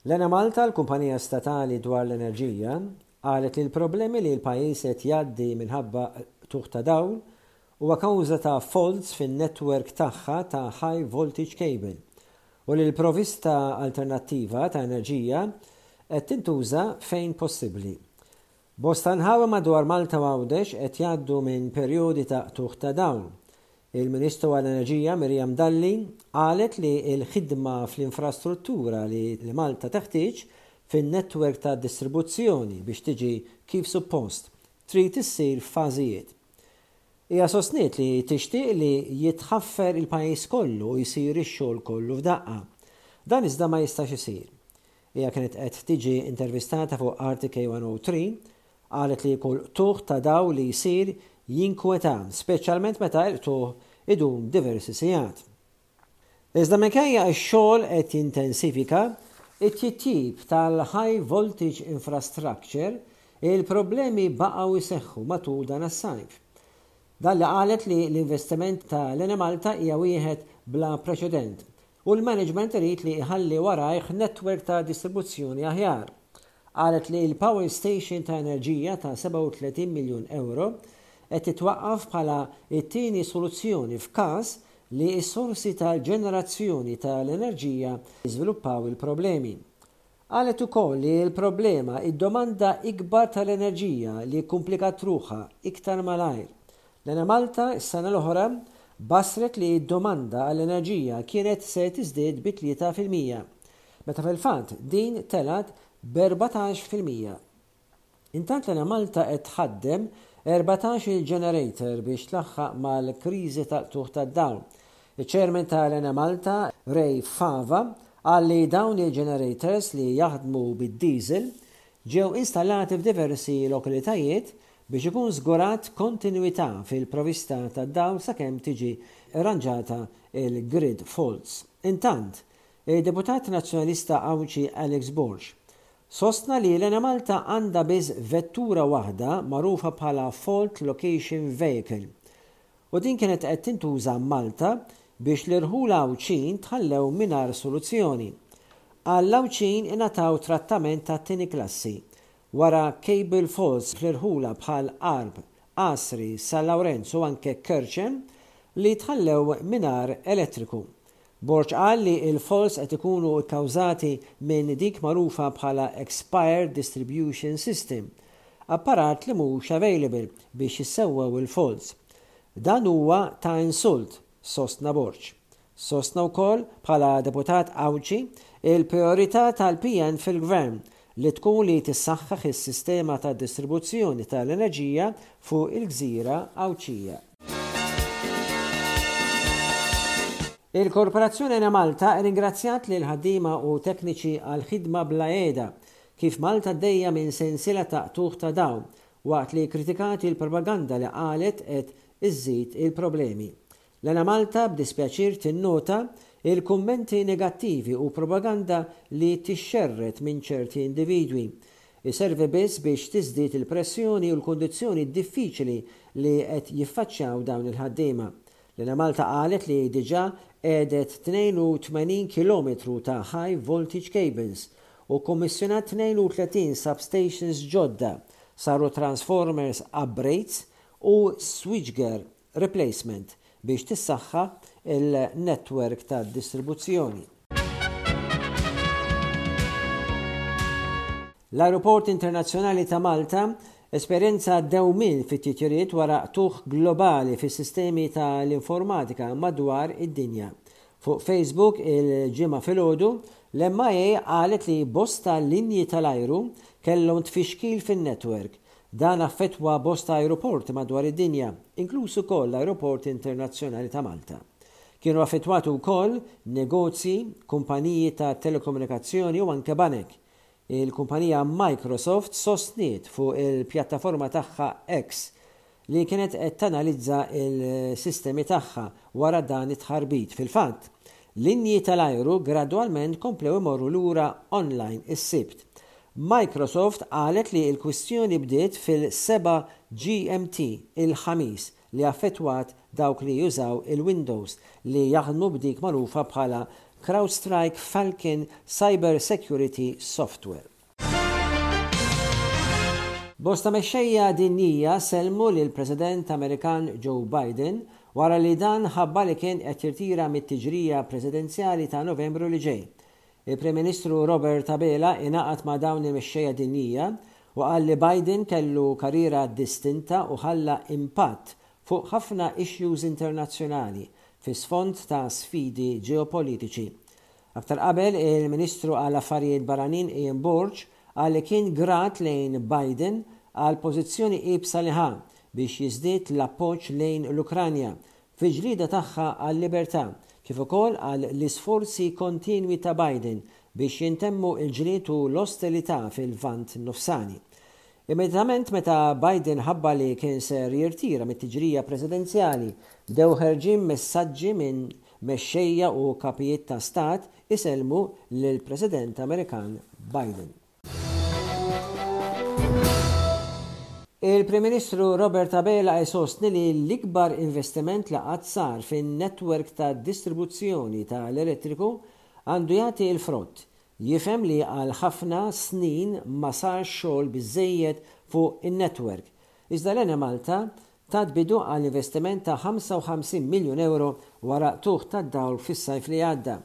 L-Enemalta, l-kumpanija statali dwar l-enerġija, qalet li l-problemi li l-pajjiż qed jgħaddi minħabba qtugħ ta' dawl huwa kawża ta' faults fin-network tagħha ta' high voltage cable u li l-provista alternattiva ta' enerġija qed tintuża fejn possibbli. Bosta nħawi madwar Malta u Għawdex qed jgħaddu minn perjodi ta' qtugħ ta' dawl. Il-Ministru għall-Enerġija Miriam Dalli qalet li l-ħidma fl-infrastruttura li Malta teħtieġ fin-network ta' distribuzzjoni biex tiġi kif suppost, trid issir f'fażijiet. Hija sostniet li tixtieq li jitħaffer il-pajjiż kollu u jsir ix-xogħol kollu f'daqqa. Dan iżda ma jistax isir. Hija kienet qed tiġi intervistata fuq RTK 103, qalet li kull qtugħ ta' dawl li jsir jinkweta, speċjalment meta l-qtugħ idum diversi sigħat. Iżda minkejja x-xogħol qed jintensifika, it-titjib tal-high voltage infrastructure, il-problemi baqgħu jseħħu matul dan is-sajf. Dalli qalet li l-investiment ta' l-Enemalta hija wieħed bla preċedent u l-management irid li jħalli warajh network ta' distribuzzjoni aħjar. Qalet li l-power station ta' enerġija ta' 37 miljun ewro qed titwaqqaf bħala t-tieni soluzzjoni f'każ li s-sorsi tal-ġenerazzjoni tal-enerġija jiżviluppaw il-problemi. Qalet ukoll li l-problema hi d-domanda ikbar tal-enerġija li kkumplikat ruħha iktar malajr. L-Enemalta s-sena l-oħra bassret li d-domanda għall-enerġija kienet se tiżdied bi 3%, meta fil-fatt din telgħet b'14%. Intant l-Enemalta qed tħaddem 14-il generator biex tlaħħaq mal-kriżi tal-qtugħ tad-dawl. Iċ-Chairman tal-Enemalta, Ray Fava, qal li dawn il-generators li jaħdmu bid-diesel ġew installati f'diversi lokalitajiet biex ikun żgurat kontinwità fil-provista tad-dawl sakemm tiġi rranġata l-grid faults. Intant, id-Deputat Nazzjonalista Għawdxi Alex Borg Sostna li l-Enemalta għandha biss vettura waħda magħrufa bħala Fault Location Vehicle u din kienet qed tintuża Malta biex l-irħula Għawdxin tħallew mingħajr soluzzjoni. Qal l-Għawdxin ingħataw trattament tat-tieni klassi wara cable faults fl-irħula bħal Għarb, Għasri, San Lawrenz u anke Kerċem li tħallew mingħajr elettriku. Borg qal li l-faults qed ikunu kkawżati minn dik magħrufa bħala expired distribution system, apparat li mhux available biex jissewwew il-faults. Dan huwa ta' insult, sostna Borg. Sostna wkoll, bħala deputat Għawdxi, il-prijorità tal-PN fil-Gvern li tkun li tissaħħaħ is-sistema ta' distribuzzjoni tal-enerġija fuq il-gżira Għawdxija. Il-Korporazzjoni Enemalta rringrazzjat lill-ħaddiema u tekniċi għall-ħidma bla qiegħda kif Malta għaddejja minn sensiela ta' qtugħ ta' dawl waqt li kkritikat il-propaganda li qalet qed iżżid il-problemi. L-Enemalta b'dispjaċir tinnota l-kummenti negattivi u propaganda li tixxerred minn ċerti individwi. Iservi biss biex tiżdied il-pressjoni u l-kundizzjoni diffiċili li qed jiffaċċjaw dawn il-ħaddiema. L-Enemalta qalet li diġà qiegħdet 82 kilometru ta' high voltage cables u kkummissjonat 32 substations ġodda, saru transformers upgrades u switchgear replacement biex tissaħħa l-network tad-distribuzzjoni. L-Ajruport Internazzjonali ta' Malta esperjenza dewmien fit-titjiriet wara qtugħ globali fis-sistemi tal-informatika madwar id-dinja. Fuq Facebook il-Ġimgħa filgħodu, l-MIA qalet li bosta linji tal-ajru kellhom tfixkil fin-network Dan affettwa bosta ajruporti madwar id-dinja, inkluż ukoll l-Ajruport Internazzjonali ta' Malta. Kienu affettwati wkoll negozji, kumpaniji ta' telekomunikazzjoni u anke banek. Il-kumpanija Microsoft sostniet fuq il-pjattaforma tagħha X li kienet qed tanalizza l-sistemi tagħha wara dan it-tħarbit. Fil-fatt, linji tal-ajru gradwalment komplew imorru lura online is-Sibt. Microsoft qalet li l-kwistjoni bdiet fil-7 GMT il-Ħamis li affettwat dawk li jużaw il-Windows li jaħdmu b'dik magħrufa bħala CrowdStrike Falcon Cyber Security Software. Bosta mexxejja dinjija sellmu lill-President Amerikan Joe Biden wara li dan ħabbar li kien qed jirtira mit-tiġrija presidenzjali ta' Novembru li ġej. Il-Prim Ministru Robert Abela ingħaqad ma' dawn il-mexxejja dinjija u qal li Biden kellu karriera distinta u ħalla impatt fuq ħafna issues internazzjonali fi sfond ta' sfidi ġeopolitiċi. Aktar qabel, il-Ministru għall-Affarijiet Barranin Ian Borg qal li kien grat lejn Biden għall-pożizzjoni iebsa li ħa biex jiżdied l-appoġġ lejn l-Ukranja fil-ġlieda tagħha għal-libertà, kif ukoll għal l-isforzi kontinwi ta' Biden biex jintemmu l-ġlied u l-ostilità fil-Lvant Nofsani. Immedjatament meta Biden ħabbar li kien ser jirtira mit-tiġrija presidenzjali, bdew ħerġin messaġġi minn mexxejja u kapijiet ta' stat isellmu lill-President Amerikan Biden. Il-Prim Ministru Robert Abela jsostni li l-ikbar investiment li qatt sar fin-network ta' distribuzzjoni tal-elettriku għandu jagħti l-frott. Jifhem li għal ħafna snin ma sarx xogħol biżżejjed fuq in-network. Iżda l-Enemalta tat bidu għal investiment ta' 55 miljun ewro wara qtugħ tad-dawl fis-sajf li għadda.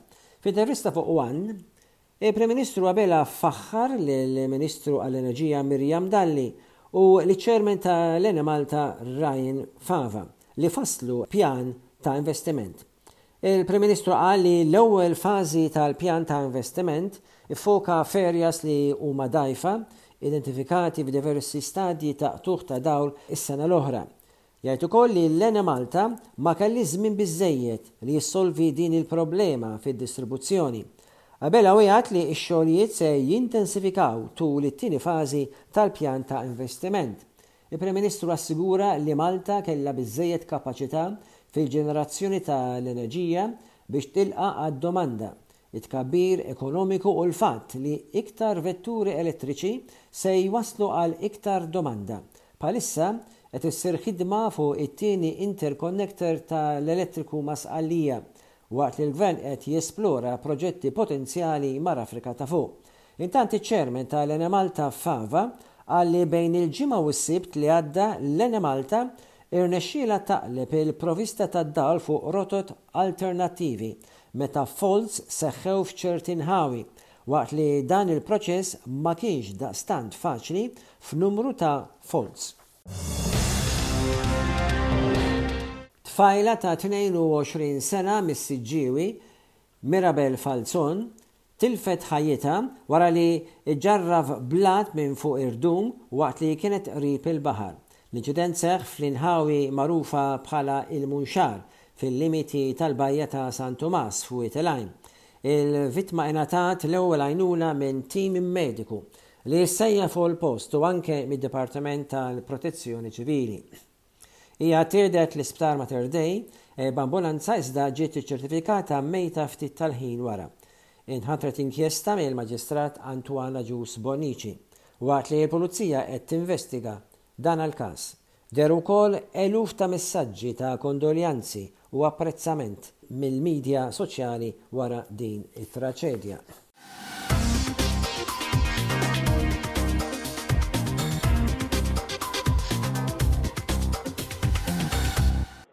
F'intervista fuq one, Il-Prim Ministru Abela faħħar lill-Ministru għall-Enerġija Miriam Dalli u liċ-Chairman ta' l-Enemalta Ryan Fava li fasslu pjan ta' investiment. Il-Prim Ministru qal li l-ewwel fażi tal-pjan ta' investiment iffoka f'areas li huma dgħajfa identifikati f'diversi stadji ta' qtugħ ta' dawl is-sena l-oħra. Jgħid ukoll li l-Enemalta ma kellhiex żmien biżżejjed li jissolvi din il-problema fid-distribuzzjoni. Abela wiegħed li x-xogħlijiet se jintensifikaw tul it-tieni fażi tal-pjan ta' investiment. Il-Prim Ministru assigura li Malta kellha biżżejjed kapaċità fil-ġenerazzjoni tal-enerġija biex tilqa' għad-domanda, it-tkabbir ekonomiku u l-fatt li iktar vetturi elettriċi se jwasslu għal iktar domanda. Bħalissa qed issir ħidma fuq it-tieni interconnector ta' l-elettriku ma' Sqallija, waqt li l-Gvern qed jesplora proġetti potenzjali mal-Afrika ta' Fuq. Intant iċ-Chairman ta' l-Enemalta Fava qal li bejn il-Ġimgħa u s-Sibt li għadda l-Enemalta irnexxielha taqleb il-provista tad-dawl fuq rotot alternattivi meta faults seħħew f'ċerti nħawi, waqt li dan il-proċess ma kienx daqstant faċli f'numru ta' faults. Tfajla ta' 22 sena mis-Siġġiewi, Mirabel Falzon, tilfet ħajjitha wara li ġġarraf blat minn fuq irdum waqt li kienet qrib il-baħar. L-inċident seħħ fl-inħawi magħrufa bħala il-Munxar, fil-limiti tal-bajja ta' San Tumas f'Wied il-Għajn. Il-vittma ingħatat l-ewwel għajnuna minn tim mediku li ssejjaħ fuq il-post u anke mid-Dipartiment tal-Protezzjoni Ċivili. Hija ttieħdet l-Isptar Mater Dei b'ambulanza iżda ġiet iċċertifikata mejta ftit tal-ħin wara. Inħatret inkjesta mill-Maġistrat Antoine Agius Bonnici waqt li l-Pulizija qed tinvestiga dan l-każ. Dehru wkoll eluf ta' messaġġi ta' kondoljanzi u apprezzament mill-midja soċjali wara din it-traċedja.